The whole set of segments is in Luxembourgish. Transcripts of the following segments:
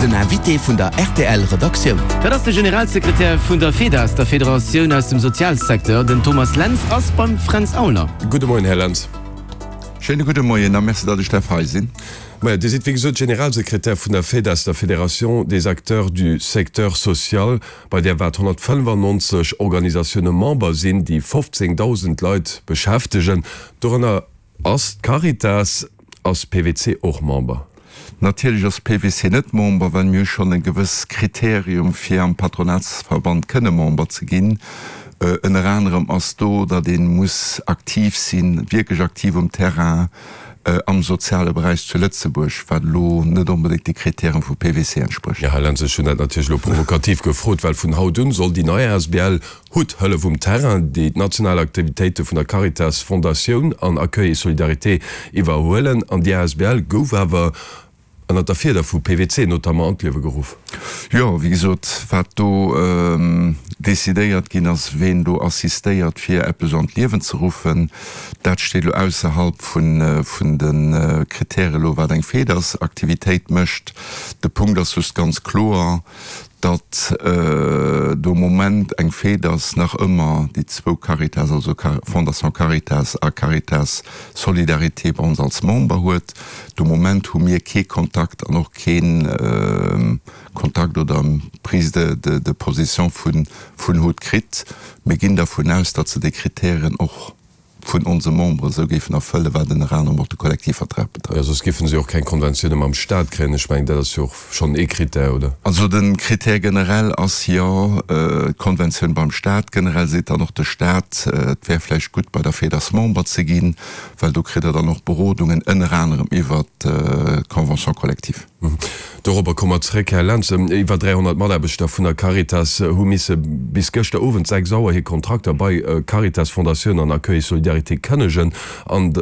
Den Invité vun der rtl Redaktioun. Dat ass de Generalsekretär vun der FEDAS, der Federatioun aus dem Sozialsecteur. Den Thomas Lentz ass beim Fränz Aulner. Gudde Moien, Här Lentz. Schéine gudde Moien a Merci, datt ech däerf hei sinn. Majo, Dir sidd wéi gesot Generalsekretär vun der FEDAS, der Fédération des acteurs du secteur social, bei där wat 195 Organisatioune Member sinn, déi 15.000 Leit beschäftegen. Dorënner ass d'Caritas. Ass PWC och Member? Natierlech ass PWC net Member, well mir hu schonn e gewëss Kriterium fir am Patronatsverband kënne Member ze ginn. Ënner anerem ass do, datt ee muss aktiv sinn, wierklech aktiv um Terrain am soziale Beräich zu Lëtzebuerg, wat elo net onbedéngt de Kritären vu PWC entsprécht. Jo, Här Lentz, ech hunn dat natierlech elo provokativ gefrot, well vun haut un soll déi nei asbl Hutt Hëllef um Terrain, déi d'national Aktivitéite vun der Caritas Fondatioun an Accueil et Solidarité iwwerhuelen. An déi asbl gouf awer ënnert der Fieder vu PWC notamment an d'Liewe geruff. Jo, wéi gesot, wat do decidéiert ginn ass, ween do assistéiert fir eppes an d'Liewen ze ruffen, dat steet elo ausserhalb vun de Kritäre elo wat eng FEDAS-Aktivitéit mécht. De Punkt ass just ganz kloer, datt de Moment eng Fait ass, nach ëmmer déi zwou Caritas, also Fondation Caritas a Caritas Solidarité bei ons als Member huet. De Moment hu mir kee Kontakt an och kee Kontakt oder Prise de position vun hut kritt. Mir ginn dervun aus, datt se déi Kritären och vun onse Memberen esou géifen erfëllen, wat ënner anerem och de Kollektivvertrag betrëfft. Jo, soss géife se jo och keng Konventioune mam Staat kréien. Ech mengen, dat ass jo och schonn ee Critère, oder? Also de Critère generell ass jo d'Konventioun beim Staat. Generell seet dann och de Staat, et wär vläicht gutt, bei der FEDAS Member ze ginn, well do kritt Der dann och Berodungen, ënner anerem iwwert d'Convention collective. Dorobber komme mer zeréck, Här Lentz. Iwwer 300 Mataarbechter vun der Caritas hu misse bis gëschter Owend 6 Auer hir Kontrakter bei Caritas Fondatioun an Accueil et Solidarité kënnegen an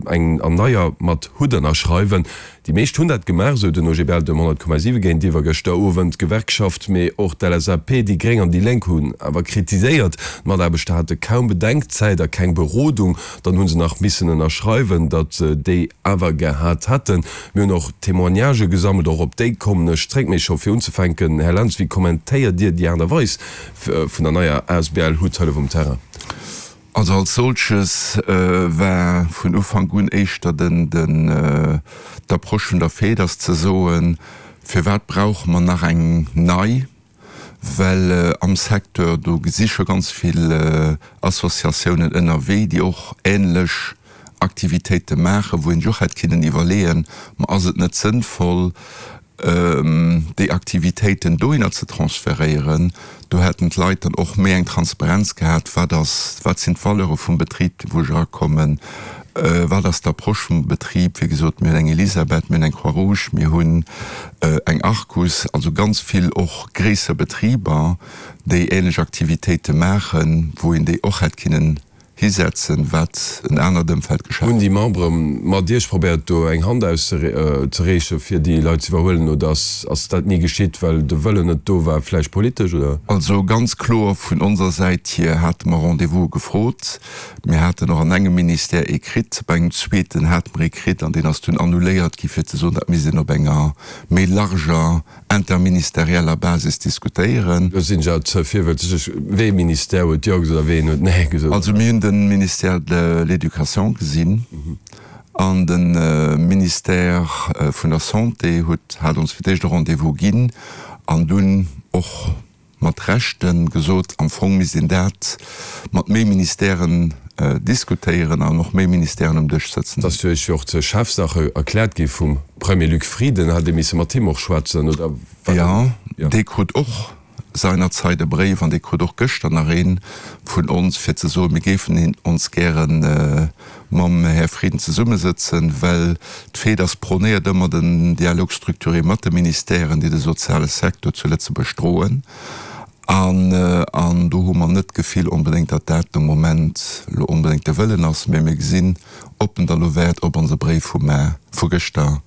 eng an neier mat Hutt ënnerschreiwen. Déi meescht hunn dat gemaach, esou den OGBL dem 100,7 géintiwwer gëschter Owend. D'Gewerkschaft, mee och d'LSAP, déi Gréng an déi Lénk hunn awer kritiséiert, d'Mataarbechter hate kaum Bedenkzäit a keng Berodung. Dann hu se nach missen ënnerschreiwen, datt se déi awer gehat hätten. Mir hunn och Témoignagë gesammelt, och op déi kommen ech zréck. Mee scho fir unzefänken, Här Lentz, wéi kommentéiert Dir déi Aart a Weis vun der neier asbl Hutt Hëllef um Terrain? Also als solches war vun Ufank un éischter den d'Approche vun der FEDAS ze soen, firwat brauche mer nach eng nei? Well am Secteur do si scho ganz vill Associatiounen ënnerwee, déi och ähnlech Aktivitéite maachen, wou een sech och hätt kinnen iwwerleeën, ma ass et net sënnvoll, déi Aktivitéiten dohinner ze transferéieren? Do hätten d'Leit dann och méi eng Transparenz gehat, wat ass, wat sinn d'Valeure vum Betrib, wou ech erakommen, wat ass d'Approche vum Betrib. Wéi gesot, mir hunn eng Elisabeth, mir hunn eng Croix-Rouge, mir hunn eng Arcus, also ganz vill och gréisser Betriber, déi ähnlech Aktivitéite maachen, wou een déi och hätt kinnen hisetzen, wat en anert Ëmfeld geschaaft. Hunn déi Membere mat Iech probéiert do eng Hand auszereechen, fir déi Leit ze iwwerhuelen, oder ass dat ni geschitt, well de Wëllen net do war, vläicht politesch, oder? Also ganz kloer vun onser Säit hier hate mer Rendez-vouse gefrot. Mir haten och an engem Ministère ee kritt, bei engem zweeten hate mer ee kritt an deen ass dunn annuléiert gi fir ze soen, dat misst een op enger méi larger interministerieller Basis diskutéieren. Lo sinn ech awer ze virwëtzeg. Wee Ministère huet Jo gesot a ween huet Nee gesot? Also mir hunn de Ministère de l'Éducation gesinn an de Ministère vun der Santé huet hat ons fir d'éischt e Rendez-vous ginn an dunn och mat Rechte gesot, am Fong misst een dat mat méi Ministèren diskutéieren an och méi Ministèren um Dësch sëtzen hunn. Dat ass jo Iech jo och zur Chefsache erkläert gi vum Premier Luc Frieden. Hat Dir misse mat him och schwätzen, oder war dat? Jo, dee krut och seinerzeit e Bréif an dee krut och gëschter nach ee vun ons, fir ze soen, mir géifen ons gäre mam Här Frieden zesummesëtzen, well d'FEDAS prônéiert ëmmer den Dialogue structuré mat de Ministèren, déi de soziale Secteur zu Lëtzebuerg droen. An, an do hu mer net d'Gefill onbedéngt, datt dat de Moment elo onbedéngt de Wëllen ass, mä mir gesinn, ob en da lo wäert op onse Bréif vu mar, vu gëschter.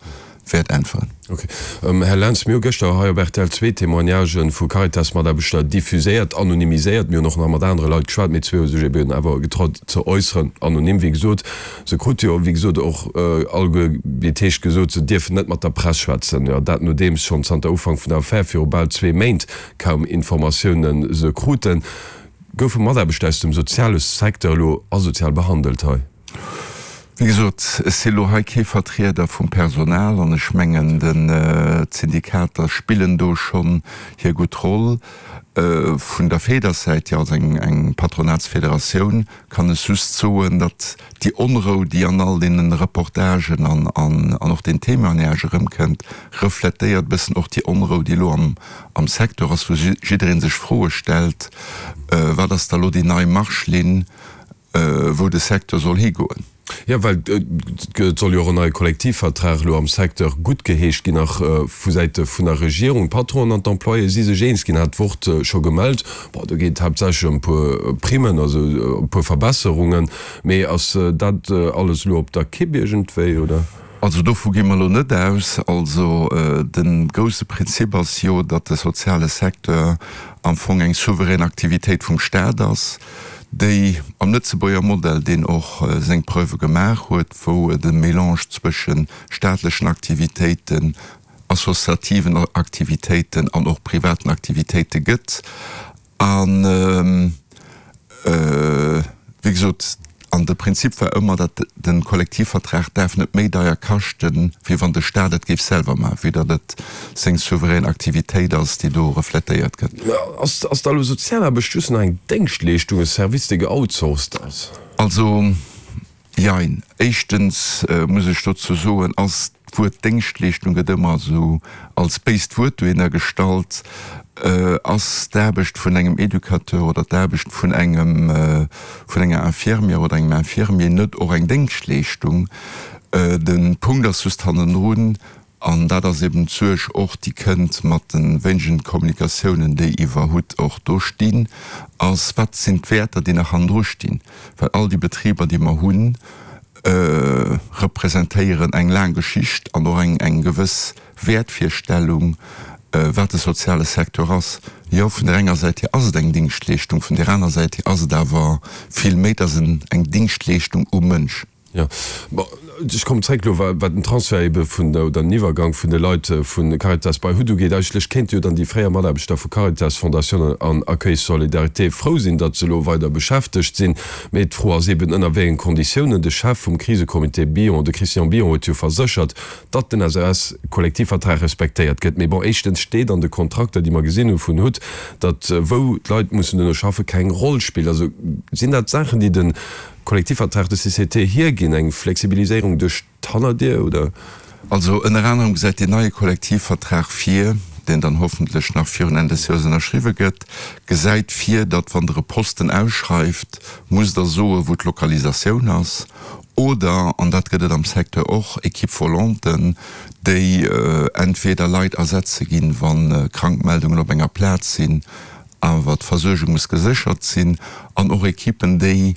wäert äntweren. Ok. Här Lentz, mir hu gëschter hei op rtl zwee Témoignagen vu Caritas-Mataarbechter diffuséiert, anonymiséiert. Mir hunn och nach mat anere Leit geschwat, mee zwee hu sech eben awer getraut ze äusseren, anonym wéi gesot. Se krute jo wéi gesot och alleguer wéi et heescht gesot, se dierfen net mat der Press schwätzen. Jo, dat nodeems schonn zanter Ufank vun der Affär viru bal zwee Méint kaum Informatioune se kruten. Goufe Mataarbechter aus dem soziale Secteur elo asozial behandelt hei? Wéi gesot, ech si elo hei kee Vertrieder vum Personal an ech mengen, d'Syndikater spillen do schonn hir gutt Roll. Vun der FEDERS-Säit hier, als eng Patronatsfederatioun, kann ech just soen, datt déi Onrou, déi an all deene Reportagen an och den Témoignagë erëmkënnt, refletéiert e bëssen och déi Onrou, déi elo am Secteur ass, wou jidderee sech Froe stellt, Wat ass da elo déi nei Marschlinn? wou de Secteur soll higoen. Jo, well et soll jo och en neie Kollektivvertrag elo am Secteur guttgeheescht ginn, nach vu Säite vun der Regierung. D'Patronen an d'Employéë si sech eens ginn, hat d'Wort scho gemellt. Bon, do geet et haaptsächlech ëm e puer Primmen, also e puer Verbesserungen. Mee ass dat alles elo op der Kipp iergendwéi, oder? Also dovu gi mer elo net aus. Also de grousse Prinzip ass jo, datt de soziale Secteur am Fong eng souverän Aktivitéit vum Staat ass, déi am Lëtzebuerger Modell, deen och seng Preuve gemaach huet, wou et e Mélange zwësche staatlechen Aktivitéiten, associativen Aktivitéiten an och privaten Aktivitéite gëtt. An, wéi gesot, an de Prinzip war ëmmer, datt de Kollektivvertrag däerf net méi deier kaschten, wéi wann de Staat et géif selwer maachen, vue datt et seng souverän Aktivitéit ass, déi do refletéiert gëtt. Ass da elo Sozialaarbecht just nach eng Déngschtleeschtung, e Service, dee geoutsourced ass? Also, Jein. Éischtens muss ech dozou soen, ass d'Wuert Déngschtleeschtung gëtt ëmmer esou als béist Wuert dohinner gestallt. Ass d'Aarbecht vun engem Educateur oder d'Aarbecht vun engem, vun enger Infirmière oder engem Infirmier net och eng Déngschtleeschtung? De Punkt ass just hannendrun, An dat ass eben d'Suerg och, déi kënnt mat de wéinegen Kommunikatiounen, déi iwwer hut och do stinn, ass, Wat sinn d'Wäerter, déi nach hannendru stinn? Well all déi Betriber, déi mer hunn, representéieren eng laang Geschicht an och eng gewëss Wäertvirstellung, wat de soziale Secteur ass. Jo, vun där enger Säit hier ass et eng Dingschtleeschtung, vun där aner Säit hier ass et awer vill méi, et ass eng Dingschtleeschtung um Mënsch. Jo, bon, ech kommen zréck elo, wat den Transfert ebe vun, oder den Iwwergank vun de Leit vu Caritas bei hut ugeet. Eigentlech kéinte jo dann déi fréier Mataarbechter vu Caritas, Fondation an Accueil Solidarité frou sinn, datt se elo weider beschäftegt sinn. Mee d'Fro ass eben, ënner wéi engen Konditiounen. De Chef vum Krisecomité Billon, de Christian Billon, huet jo verséchert, datt den SES-Kollektivvertrag respektéiert gëtt. Mee bon, éischtens steet an de Kontrakter, déi mer gesinn hu vun hut, datt wou d'Leit mussen duerno schaffen, keng Roll spillt. Also sinn dat Saachen, déi de Kollektivvertrag de CCT hierginn, eng Flexibiliséierung duerch d'Hannerdier, oder? Also ënner anerem gesäit deen neie Kollektivvertrag vir, deen dann hoffentlech nach virun Enn des Joers ënnerschriwwe gëtt, gesäit vir, datt wann Der e Posten ausschreift, musst Der soe wou d'Lokalisatioun ass, oder, an dat gëtt et am Secteur och, Équipe-volanten, déi entweder Leit ersetze ginn, wa Krankmeldungen op enger Plaz sinn, Awer d'Versuergung muss geséchert sinn an och Ekippen, déi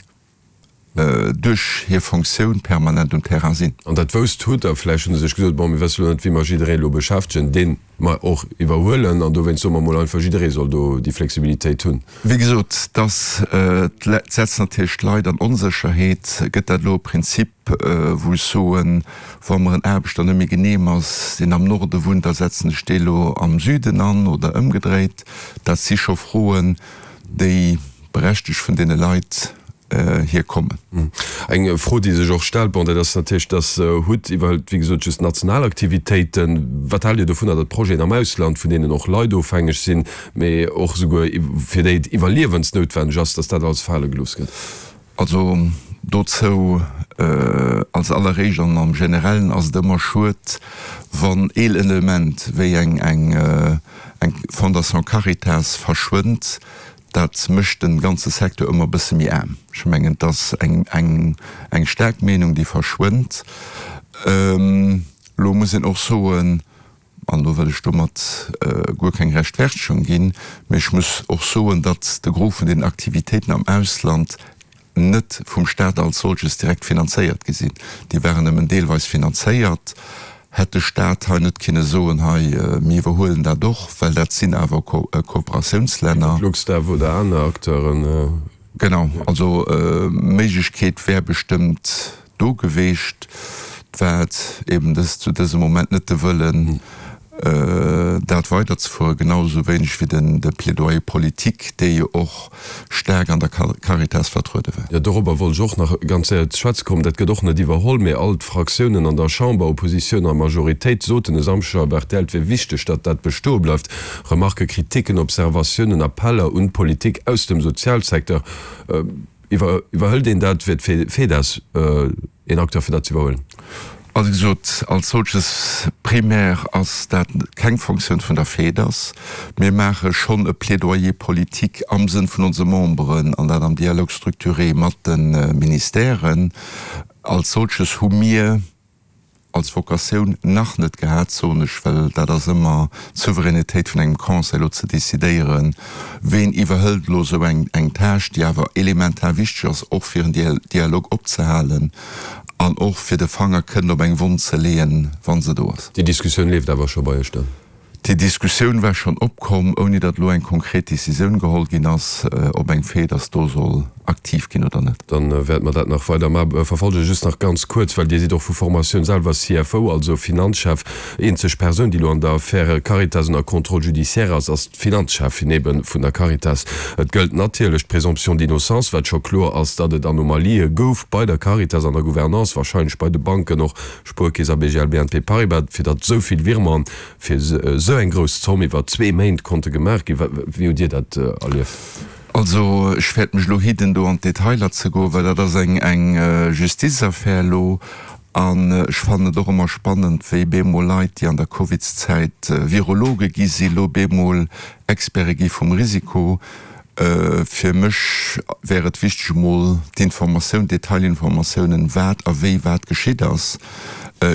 duerch hir Fonctioun permanent um Terrain sinn. An dat wousst hutt Der. Vläicht hunn se sech gesot, Bon, mir wësse lo net, wéi mer jidderee elo beschäftegen, dee mer och iwwerhuelen, an dowéinst soe mer mol einfach, jidderee soll do déi Flexibilitéit hunn. Wéi gesot, dass setzt natierlech d'Leit an Onsécherheet. Gëtt dat elo e Prinzip, wou ech soen, wa mer en Aarbechter net méi genehm ass, deen am Norde wunnt, da setzen ech dee lo am Süden an oder ëmgedréit? Dat si scho Froen, déi berechtegt vun deene Leit hier kommen. Eng Fro, déi sech och stellt, bon, dat ass natierlech, dass hut iwwerhëlt, wéi gesot, just national Aktivitéiten. Wat haalt Dir dovunner, datt Projeten am Ausland, vun deenen och Leit ofhängeg sinn, mee och esouguer fir déi et iwwerliewensnoutwenneg ass, datt dat alles fale gelooss gëtt? Also dozou als alleréischt an am Generellen ass et ëmmer schued, wann een Element wéi eng eng Fondation Caritas verschwënnt. Dat mécht de ganze Secteur ëmmer e bësse méi aarm. Ech mengen, et ass eng eng staark Meenung, déi verschwënnt. Elo muss een och soen, An do wëll ech domat guer keng Rechtfertegung ginn, mee ech muss och soen, datt de Gros vun den Aktivitéiten am Ausland net vum Stat als solches direkt finanzéiert gi sinn. Déi waren nëmmen deelweis finanzéiert. Hätt de Staat hei net kinne soen, hei mir iwwerhuelen dat och, well dat sinn awer Kooperatiounslänner. LuxDev oder aner Acteuren. Genau, also Méiglechkeet wär bestëmmt do geweecht. Et war eben dës zu dësem Moment net de Wëllen, dat weiderzefueren, genau esou wéineg wéi de Plaidoyer politique, dee jo och staark an der Caritas vertruede war. Jo, dorobber wollt ech och nach ganz séier ze schwätze kommen. Dat gëtt och net iwwerholl, mee all d'Fraktiounen an der Chamber, Oppositioun a Majoritéit, soten e Samschdeg op rtl, et wier wichteg, datt dat bestoe bleift. Remarken, Kritiken, Observatiounen, Appeller un d'Politik aus dem Sozialsecteur. Iwwerhëlt een dat? Wier d'FEDAS een Acteur fir dat ze iwwerhuelen? Also wéi gesot, als solches primär ass dat keng Fonctioun vun der FEDAS. Mir maache schonn e Plaidoyer politique am Sënn vun onse Memberen, an dat am Dialogue structuré mat de Ministèren. Als solches hu mir als Vocatioun nach net gehat, soen ech, well dat ass ëmmer d'Souveränitéit vun engem Conseil elo ze decidéieren, ween iwwerhëlt elo esou eng eng Tâche, déi awer elementar wichteg ass, och fir en Dialog opzehalen an och fir de Fanger kënnen op eng Wonn ze leeën, wa se do ass. Déi Diskussioun leeft awer scho bei Iech dann? Déi Diskussioun war schonn opkomm, ouni datt elo eng konkret Decisioun geholl ginn ass, ob eng FEDAS do soll aktiv ginn oder net. Dann wäerte mer dat nach weider verfolgen. Just nach ganz kuerz, well Dir sidd och vu Formatioun selwer CFO, also Finanzchef. Eenzeg Persoun, déi elo an der Affär Caritas ënner Contrôle judiciaire ass, ass d'Finanzcheffin ebe vun der Caritas. Et gëllt natierlech d'Présomption d'innocence, wat scho kloer ass, datt et Anomalië gouf bei der Caritas an der Gouvernance, wahrscheinlech bei de Banken och, Spuerkeess a BGL BNP Paribas, fir datt esou vill Virementen fir esou eng grouss Zomm iwwer zwee Méint konnte gemaach ginn. Wéi hutt Dir dat erlieft? Also ech wäert mech elo hidden do an d'Detailer ze goen, well dat ass eng eng Justizaffär elo. An ech fannen et och ëmmer spannend, wéi bemol Leit, déi an der Covidszäit Virologe gi sinn, elo bemol Experte gi vum Risiko. Fir mech wär et wichteg emol d'Informatioun, d'Detailinformatiounen, wat a wéi wat geschitt ass,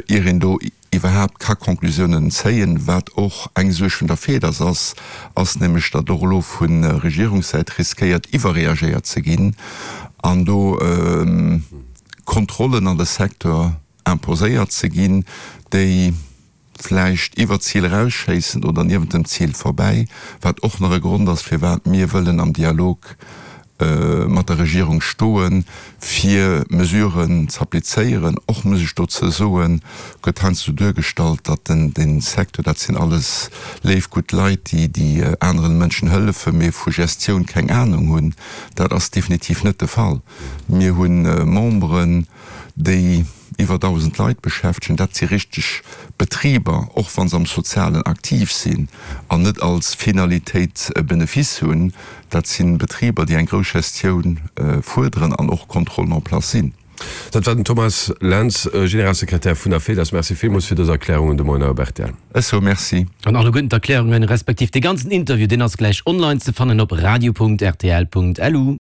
ier een do iwwerhaapt ka Conclusiounen zéien. Wat och eng Suerg vun der FEDAS ass, ass nämlech, datt och elo vu Regierungssäit riskéiert iwwerreagéiert ze ginn an do Kontrollen an de Secteur imposéiert ze ginn, déi, vläicht iwwer d'Zil erausschéissen oder niewent dem Zil vorbäi, wat och nach e Grond ass, firwat mir wëllen am Dialog mat der Regierung stoen, fir Mesuren z'applizéieren. Och muss ech dozou soen, gëtt heiansdo duergestallt, datt den dee Secteur, dat sinn alles léif gutt Leit, déi déi aneren Mënschen hëllefen, mee vu Gestioun keng Anung hunn. Dat ass definitiv net de Fall. Mir hu Memberen, déi iwwer 1.000 Leit beschäftegen, dat si richteg Betriber, och wa se am Sozialen aktiv sinn an net als Finalitéit e Benefice hunn. Dat si Betriber, déi eng grouss Gestioun fuerderen an och Kontrollen en place sinn. Dat war den Thomas Lentz, Generalsekretär vun der FEDAS. Merci villmools fir dës Erklärungen de Moien op rtl. Ech soe Merci. An alleguerten d'Erklärungen, respektiv dee ganzen Interview, deen ass gläich online ze fannen op radio.rtl.lu.